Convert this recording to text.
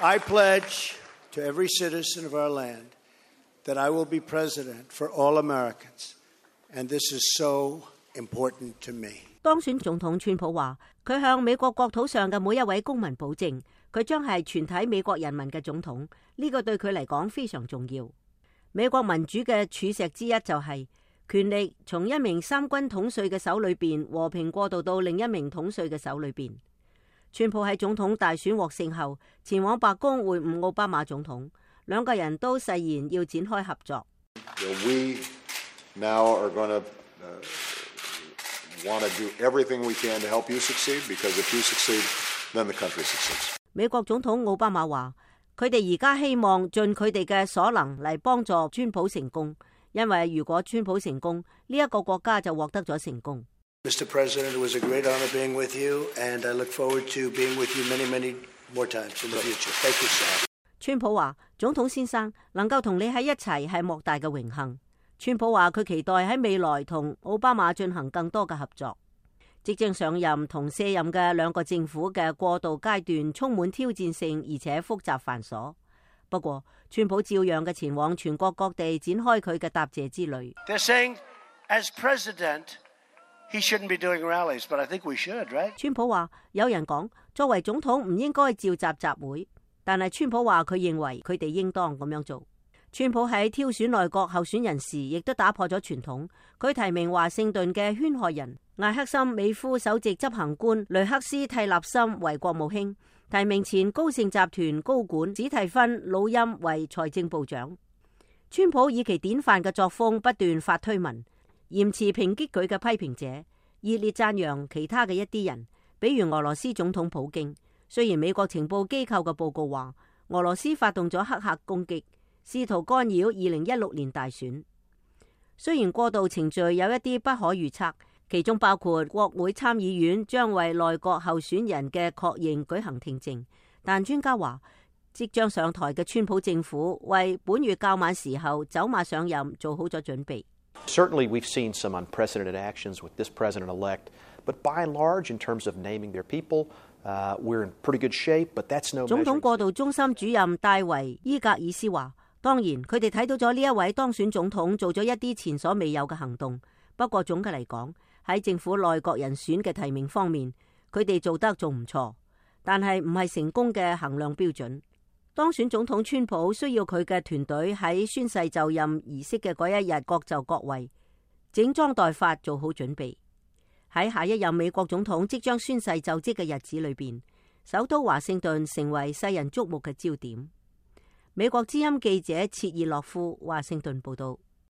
I pledge to every citizen of our land that I will be president for all Americans, and this is so important to me. 當選總統川普話，佢向美國國土上嘅每一位公民保證，佢將係全體美國人民嘅總統，呢個對佢嚟講非常重要。美國民主嘅柱石之一就係權力從一名三軍統帥嘅手裏邊和平過渡到另一名統帥嘅手裏邊。川普喺總統大選獲勝後，前往白宮會晤奧巴馬總統，兩個人都誓言要展開合作。We now are going to want to do everything we can to help you succeed, because if you succeed, then the country succeeds. 美國總統奧巴馬話：佢哋而家希望盡佢哋嘅所能嚟幫助川普成功，因為如果川普成功，呢一個國家就獲得咗成功。Mr. President, it was a great honor being with you, and I look forward to being with you many, many more times in the future. Thank you, sir. 川普話：總統先生能夠同你喺一齊係莫大嘅榮幸。川普話佢期待喺未來同奧巴馬進行更多嘅合作。即將上任同卸任嘅兩個政府嘅過渡階段充滿挑戰性，而且複雜繁瑣。不過，川普照樣嘅前往全國各地展開佢嘅答謝之旅。They're saying, as president, he shouldn't be doing rallies, but I think we should, right? 川普話：有人講作為總統唔應該召集集會，但係川普話佢認為佢哋應當咁樣做。川普喺挑選內閣候選人時，亦都打破咗傳統。佢提名華盛頓嘅圈害人艾克森美孚首席執行官雷克斯蒂納森為國務卿，提名前高盛集團高管史蒂芬魯欽為財政部長。川普以其典範嘅作風不斷發推文，嚴詞抨擊佢嘅批評者，熱烈讚揚其他嘅一啲人，比如俄羅斯總統普京。雖然美國情報機構嘅報告話俄羅斯發動咗黑客攻擊，試圖干擾2016年大選。雖然過渡程序有一啲不可預測，其中包括國會參議院將為內閣候選人嘅確認舉行聽證，但專家話即將上台嘅川普政府為本月較晚時候走馬上任做好咗準備。Certainly we've seen some unprecedented actions with this president-elect, but by and large, in terms of naming their people, we're in pretty good shape, but that's no measure. 總統過渡中心主任戴維伊格爾斯話：當然，佢哋睇到咗呢一位當選總統做咗一啲前所未有嘅行動。不過總嘅嚟講，喺政府內閣人選嘅提名方面，佢哋做得仲唔錯，但係唔係成功嘅衡量標準。當選總統川普需要佢嘅團隊喺宣誓就任儀式嘅嗰一日各就各位，整裝待發，做好準備。喺下一任美國總統即將宣誓就職嘅日子裏邊，首都華盛頓成為世人矚目嘅焦點。美國之音記者切爾諾夫華盛頓報道。